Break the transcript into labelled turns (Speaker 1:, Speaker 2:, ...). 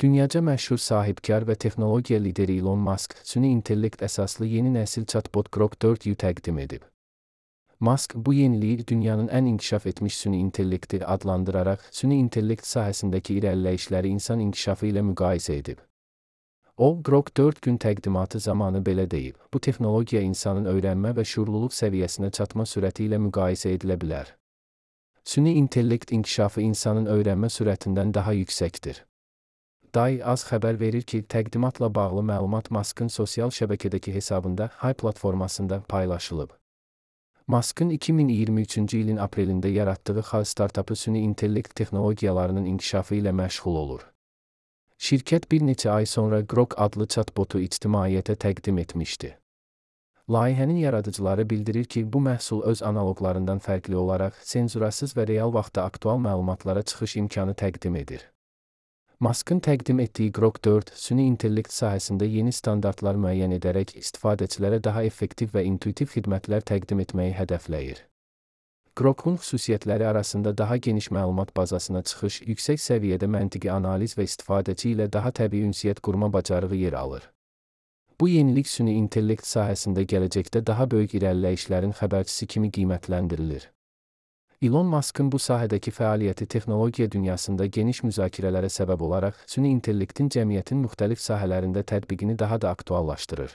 Speaker 1: Dünyaca məşhur sahibkar və texnologiya lideri Elon Musk, süni intellekt əsaslı yeni nəsil chatbot Grok 4-ü təqdim edib. Musk bu yeniliyi dünyanın ən inkişaf etmiş süni intellekti adlandıraraq, süni intellekt sahəsindəki irəliləyişləri insan inkişafı ilə müqayisə edib. O, Grok 4 gün təqdimatı zamanı belə deyib, bu texnologiya insanın öyrənmə və şuurluluq səviyyəsinə çatma sürəti ilə müqayisə edilə bilər. Süni intellekt inkişafı insanın öyrənmə sürətindən daha yüksəkdir. DAI az xəbər verir ki, təqdimatla bağlı məlumat Musk'ın sosial şəbəkədəki hesabında Hay platformasında paylaşılıb. Musk'ın 2023-cü ilin aprelində yaratdığı Hay startapı süni intellekt texnologiyalarının inkişafı ilə məşğul olur. Şirkət bir neçə ay sonra Grok adlı chatbotu ictimaiyyətə təqdim etmişdi. Layihənin yaradıcıları bildirir ki, bu məhsul öz analoqlarından fərqli olaraq senzurasız və real vaxtda aktual məlumatlara çıxış imkanı təqdim edir. Musk'ın təqdim etdiyi Grok 4, süni intellekt sahəsində yeni standartlar müəyyən edərək istifadəçilərə daha effektiv və intuitiv xidmətlər təqdim etməyi hədəfləyir. Grok'un xüsusiyyətləri arasında daha geniş məlumat bazasına çıxış, yüksək səviyyədə məntiqi analiz və istifadəçi ilə daha təbii ünsiyyət qurma bacarığı yer alır. Bu yenilik süni intellekt sahəsində gələcəkdə daha böyük irəliləyişlərin xəbərçisi kimi qiymətləndirilir. Elon Musk'ın bu sahədəki fəaliyyəti texnologiya dünyasında geniş müzakirələrə səbəb olaraq, süni intellektin cəmiyyətin müxtəlif sahələrində tətbiqini daha da aktuallaşdırır.